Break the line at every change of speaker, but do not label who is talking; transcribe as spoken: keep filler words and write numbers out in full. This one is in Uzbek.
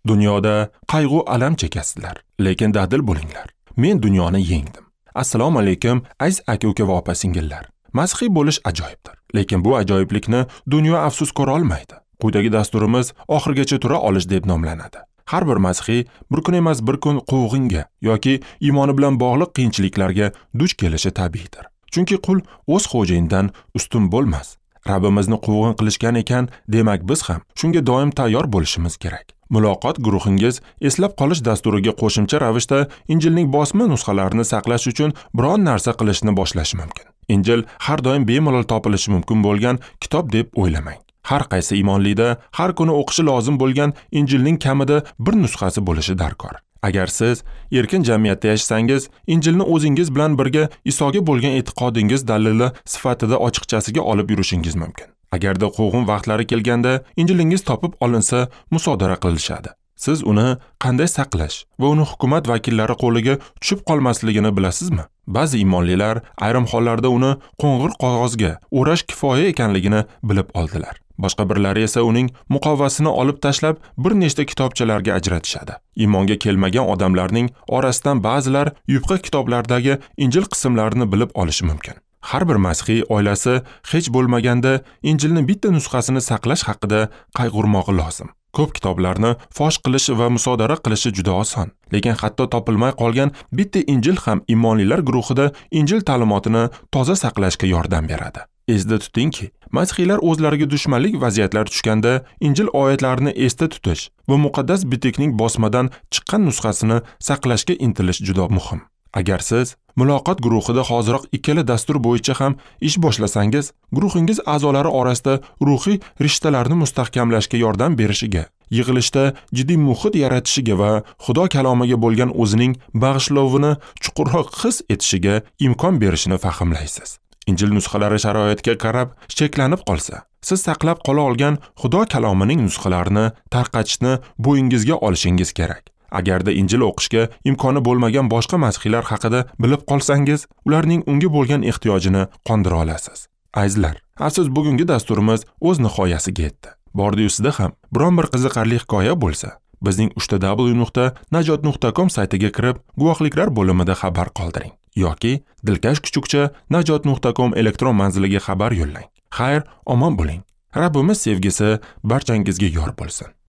Dunyoda qayg'u alam chekasizlar, lekin dadil bo'linglar. Men dunyoni yengdim. Assalomu alaykum, aziz aka-uka va opa-singillar. Masihiy bo'lish ajoyibdir, lekin bu ajoyiblikni dunyo afsus ko'ra olmaydi. Quyidagi dasturimiz oxirigacha tura olish deb nomlanadi. Har bir masihiy bir kun emas bir kun quvg'inga yoki iymoni bilan bog'liq qiyinchiliklarga duch kelishi tabiiydir. Chunki qul o'z xo'jayinidan ustun bo'lmas. Rabbimizni quvg'in qilishgan ekan, demak biz ham shunga doim tayyor bo'lishimiz kerak. Muloqot guruhingiz eslab qolish dasturiga qo'shimcha ravishda Injilning bosma nusxalarini saqlash uchun biron narsa qilishni boshlashi mumkin. Injil har doim bemalol topilishi mumkin bo'lgan kitob deb o'ylamang. Har qaysi iymonlida har kuni o'qishi lozim bo'lgan Injilning kamida bir nusxasi bo'lishi darkor. Agar siz erkin jamiyatda yashasangiz, Injilni o'zingiz bilan birga Isoga bo'lgan e'tiqodingiz dalili sifatida ochiqchasiga olib yurishingiz mumkin. Agarda quvg'in vaqtlari kelganda Injilingiz topib olinsa, musodara qilishadi. Siz uni qanday saqlash va uni hukumat vakillari qo'liga tushib qolmasligini bilasizmi? Ba'zi iymonlilar ayrim hollarda uni qo'ng'ir qog'ozga o'rash kifoya ekanligini bilib oldilar. Boshqa birlari esa uning muqovasini olib tashlab bir nechta kitobchalarga ajratishadi. Iymonga kelmagan odamlarning orasidan ba'zilar yupqa kitoblardagi Injil qismlarini bilib olishi mumkin. Har bir masihiy oilasi hech bo'lmaganda Injilni bitta nusxasini saqlash haqida qayg'urmog'i lozim. Ko'p kitoblarni fosh qilish va musodara qilishi juda oson, lekin hatto topilmay qolgan bitta Injil ham iymonlilar guruhida Injil ta'limotini toza saqlashga yordam beradi. Esda tutingki, masihiylar o'zlariga dushmanlik vaziyatlar tushganda Injil oyatlarini esda tutish va muqaddas bitikning bosmadan chiqqan nusxasini saqlashga intilish juda muhim. Agar siz muloqot guruhida hoziroq ikkala dastur bo'yicha ham ish boshlasangiz, guruhingiz a'zolari orasida ruhiy rishtalarni mustahkamlashga yordam berishiga, yig'ilishda jiddiy muhit yaratishiga va Xudo kalomiga bo'lgan o'zining bag'ishlovini chuqurroq his etishiga imkon berishini fahmlaysiz. Injil nusxalari sharoitga qarab cheklanib qolsa, siz saqlab qola olgan Xudo kalomining nusxalarini tarqatishni bo'yingizga olishingiz kerak. Agarda Injil o'qishga imkoni bo'lmagan boshqa masihiylar haqida bilib qolsangiz, ularning unga bo'lgan ehtiyojini qondira olasiz. Azizlar, afsus bugungi dasturimiz o'z nihoyasiga yetdi. Bordi-yu sizda ham biron bir qiziqarli hikoya bo'lsa, bizning uch w nuqta najot nuqta com saytiga kirib, guvohliklar bo'limida xabar qoldiring yoki dilkash kuchukcha najot nuqta com elektron manziliga xabar yo'llang. Xayr, omon bo'ling. Rabbimiz sevgisi barchangizga yor bo'lsin.